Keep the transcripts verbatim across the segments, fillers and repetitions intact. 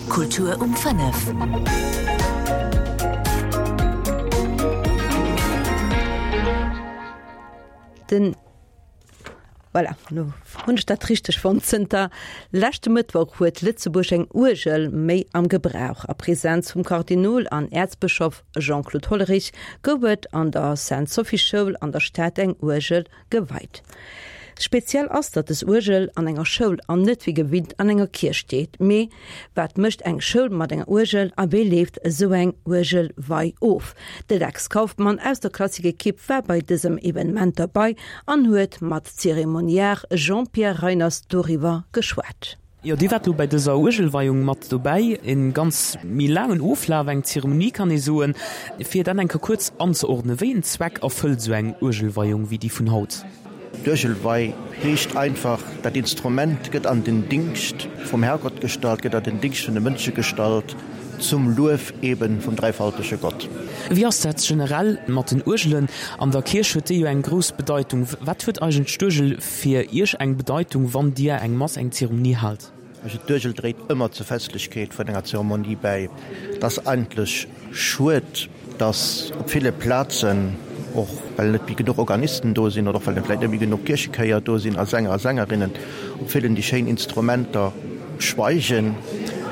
Kultur um fënnef. Den Voilà, lo hunn ech dat richteg fonnt. Zënter leschte Mëttwoch huet Lëtzebuerg eng Uergel méi am Gebrauch. A Presenz vum Kardinol an Äerzbëschof Jean-Claude Hollerich gouf et an der Sainte-Sophie-Schoul an der Stad eng Uergel geweit. Speziell ass, datt des Uergel an enger Schoul an net wéi gewinnt an enger Kierch steet. Mee wat mécht eng Schoul mat enger Uergel a wéi leeft esou eng Uergelwei of? De Lex Kauffmann aus der Klassik-Ekipp war bei dësem Evenement derbei an huet mat Zeremoniar Jean-Pierre Reiners doriwwer geschwat. Jo, Dir waart lo bei dëser Uergelweiung mat dobäi. En ganz méi laangen Oflaf, eng Zeremonie kann ee soen. Fir dat eng Kéier kuerz anzeordnen, wéi en Zweck erfëllt esou eng Uergelweiung wéi déi vun haut? D'Uergelwei heescht einfach, dat Instrument gëtt an den Dingscht vum Herrgott gestallt, gëtt an den Dingscht vun de Mënsche gestallt, zum Luef eben vum dräifaltege Gott. Wéi ass dat generell mat den Uergelen an der Kierch? Huet déi jo eng grouss Bedeitung? Wat huet eigentlech d'Uergel fir Iech eng Bedeitung, wann Dir eng Mass, eng Zeremonie haalt? Also d'Uergel dréit ëmmer zur Festlechkeet vun enger Zeremonie bäi. Et ass eigentlech schued, dass op ville Plazen, och well net méi genuch Organisten do sinn oder och well net vläicht net méi genuch Kierchechéier do sinn a Sänger a Sängerinnen, op villen déi schéin Instrumenter schweigen,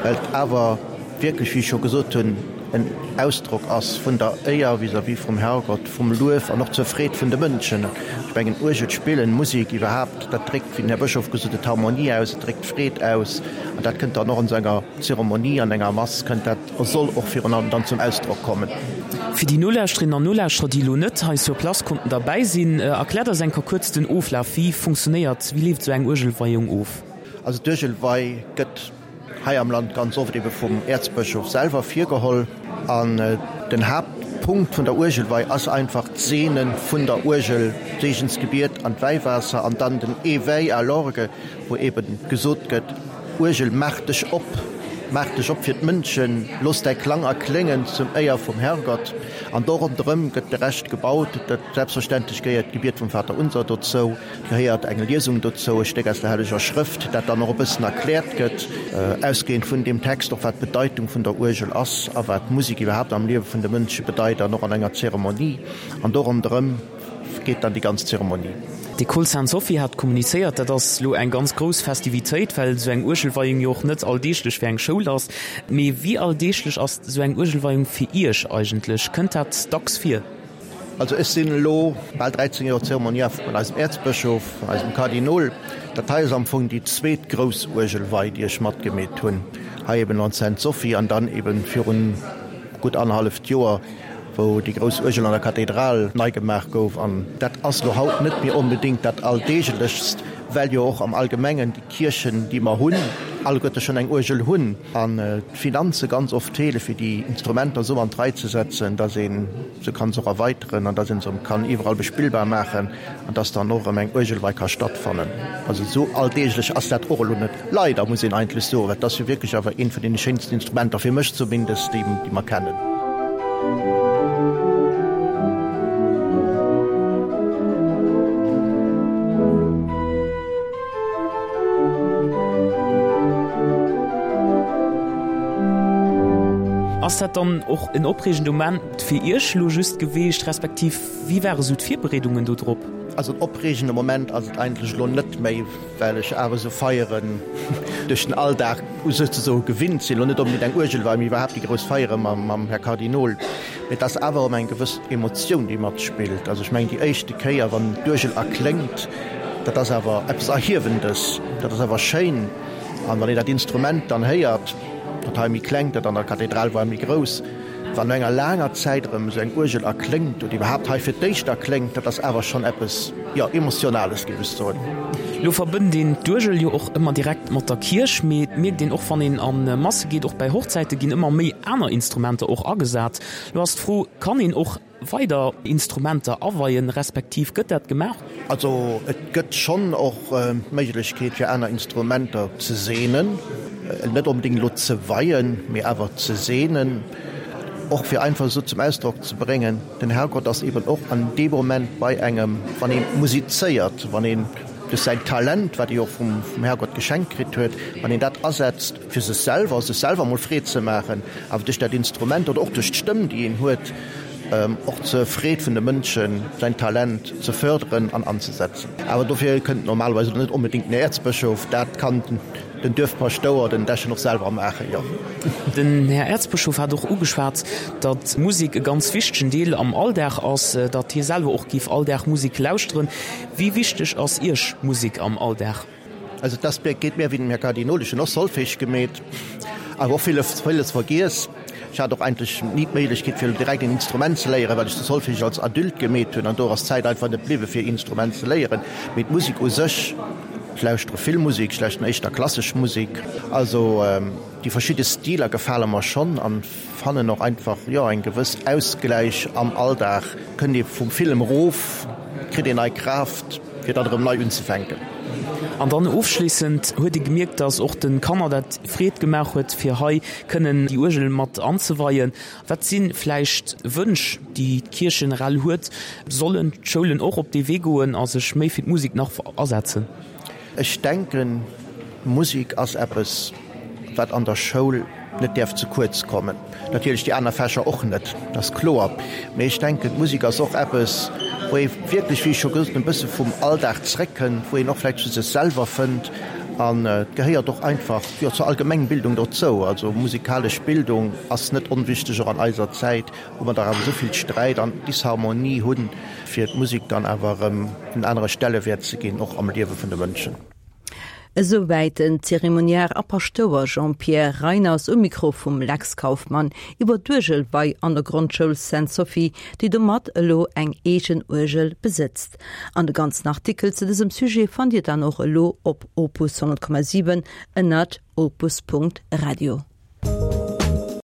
well et awer wierklech, wéi ech scho gesot hunn, en Ausdrock ass vun der Éier vis-à-vis vum Herrgott, vum Luef an och zur Freed vun de Mënschen. Ech mengen, Uergel spillen, Musek iwwerhaapt, dat dréckt, wéi den Här Bëschof gesot huet, Harmonie aus, et dréckt Freed aus an dat kënnt dann och an esou enger Zeremonie, an enger Mass kënnt dat a soll och virun allem dann zum Ausdrock kommen. Fir déi Nolauschterinnen an Nolauschterer, déi elo net hei sur place konnten derbäi sinn, erkläert eis eng Kéier kuerz den Oflaf. Wéi funktionéiert, wéi leeft esou eng Uergelweiung of? Also d'Uergelwei gëtt hei am Land ganz oft ebe vum Äerzbëschof selwer virgeholl. An den Haaptpunkt vun der Uergelwei ass einfach d'Seene vun der Uergel, d'Seegensgebiet an d'Wäiwaasser an dann den Éveil à l'orgue, wou ebe gesot gëtt, Uergel, maach dech op, maach dech op fir d'Mënschen, looss däi Klang erkléngen zum Éier vum Herrgott. An do ronderëm gëtt de Rescht gebaut. Dat selbstverständlech gehéiert d'Gebiet vum Vaterunser dozou, gehéiert eng Liesung dozou, e Stéck aus der Helleger Schrëft, dat dann och e bëssen erkläert gëtt, ausgehend vun deem Text, och wat d'Bedeitung vun der Uergel ass a wat d'Musek iwwerhaapt am Liewe vun de Mënsche bedeit an och an enger Zeremonie. An do ronderëm geet dann déi ganz Zeremonie. D'Ecole Sainte-Sophie hat kommunizéiert, dat ass elo eng ganz grouss Festivitéit, well esou eng Uergelweiung jo och net alldeeglech fir eng Schoul ass. Mee wéi alldeeglech ass esou eng Uergelweiung fir Iech eigentlech? Kënnt dat dacks vir? Also ech sinn elo bal dräizéng Joer Zeremoniar vun eisem Äerzbëschof, vun eisem Kardinol. Dat hei ass am Fong déi zweet grouss Uergelwei, déi ech matgemeet hunn. Hei eben an Sainte-Sophie an dann eben virun gutt annerhalleft Joer, wou déi grouss Uergel an der Kathedral nei gemaach gouf. An dat ass elo haut net méi onbedéngt dat Alldeeglechst, well jo och am Allgemengen déi Kierchen, déi mer hunn, alleguerte schonn eng Uergel hunn an d'Finanze ganz oft feele fir déi Instrumenter esou an d'Rei ze setzen, dass ee se kann se och erweiteren an dass ee se erëm kann iwwerall bespillbar maachen an dass dann och erëm eng Uergelwei ka stattfannen. Also esou alldeeglech ass dat och elo net. Leider, muss een eigentlech soen, well et ass jo wierklech awer eent vun deene schéinsten Instrumenter, fir mech zumindest, déi mer kennen. Ass dat dann och en opreegende Moment fir Iech elo just geweecht, respektiv wéi ware sou d'Virbereedungen do drop? Also en opreegende Moment ass et eigentlech elo net méi, well ech awer esou Feieren duerch den Alldag souzesoe gewinnt sinn. Elo net onbedéngt eng Uergelwei, mee iwwerhaapt déi grouss Feiere mam Här Kardinol. Mee et ass awer erëm eng gewëss Emotioun, déi matspillt. Also ech mengen, déi éischte Kéier, wann d'Uergel erkléngt, dat ass awer eppes Erhiewendes, dat ass awer schéin. An wann een dat Instrument dann héiert, dat hei méi klengt, dat an der Kathedral war méi grouss, Wann no enger laanger Zäit erëm esou eng Uergel erkléngt oder iwwerhaapt hei fir d'éischt erkléngt, dat ass awer schonn eppes, jo, Emotionales, géif ech soen. Elo verbënnt een d'Uergel jo och ëmmer direkt mat der Kierch, mee et mierkt een och, wann een a Masse geet, och bäi Hochzäite ginn ëmmer méi aner Instrumenter och agesat. Elo ass d'Fro, Kann een och weider Instrumenter aweien, respektiv gëtt dat gemaach? Also et gëtt schonn och d'Méiglechkeet fir aner Instrumenter ze seenen, net onbedéngt elo ze weien, mee awer ze seenen, och fir einfach esou zum Ausdrock ze bréngen, den Herrgott ass eben och an deem Moment bei engem, wann ee musizéiert, wann ee duerch säin Talent, wat ee jo och vum Herrgott geschenkt kritt huet, wann een dat asetzt fir sech selwer, sech selwer emol Freed ze maachen, awer duerch dat Instrument oder och duerch d'Stëmm, déi een huet, och zur Freed vun de Mënschen säin Talent ze förderen an anzesetzen. Awer dofir kënnt normalerweis net onbedéngt den Äerzbëschof, dat kann den Duerfpaschtouer, den Dechen och selwer maachen, jo. Den Här Äerzbëschof hat och ugeschwat, datt Musek e ganz wichtegen Deel am Alldag ass, datt hie selwer och géif all Dag Musek lauschteren. Wéi wichteg ass Iech Musek am Alldag? Also dass geet mir wéi dem Här Kardinol, ech hunn och Solfège gemeet, awer och villes, villes vergiess. Ech hat och eigentlech ni d'Méiglechkeet fir direkt en Instrument ze léieren, well ech de Solfège als Adulte gemeet hunn an do ass d'Zäit einfach net bliwwe fir Instrument ze léieren. Mee d'Musek u sech, ech lauschtere vill Musek, ech lauschteren éischter klassesch Musek. Also déi verschidde Stiler gefale mer schonn an fannen och einfach, jo, eng gewëss Ausgläich am Alldag. Kënnt ee vum Film erof, kritt een nei Kraaft fir dann erëm nei unzefänken. An dann ofschléissend huet ee gemierkt, dass och de Kanner dat Freed gemaach huet, fir hei kënnen déi Uergel mat anzeweien. Wat si vläicht Wënsch, déi d'Kierch generell huet? Sollen d'Schoulen och op dee Wee goen a sech méi fir d'Musek nach asetzen? Ech denken, Musek ass eppes, wat an der Schoul net däerf ze kuerz kommen. Natierlech déi aner Fächer och net, dat ass kloer. Mee ech denken, d'Musek ass och eppes, wou ee wierklech, wéi ech scho gesot hunn, e bësse vum Alldag zréckkënnt, wou een och vläicht zu sech selwer fënnt. An et gehéiert och einfach, jo, zur Allgemengbildung dozou. Also musikalesch Bildung ass net onwichteg, och an eiser Zäit, wou mer dach awer esou vill Sträit an Disharmonie hunn, fir d'Musek dann awer erëm en anere Stellewäert ze ginn, och am Liewe vun de Mënschen. Esouwäit den Zeremoniar a Paschtouer Jean-Pierre Reiners um Mikro vum Lex Kauffmann iwwer d'Uergelwei an der Grondschoul Sainte-Sophie, déi domat elo eng eegen Uergel besëtzt. An de ganzen Artikel zu dësem Sujet fannt Dir dann och elo op Opus honnert Komma siwen ënnert opus Punkt radio.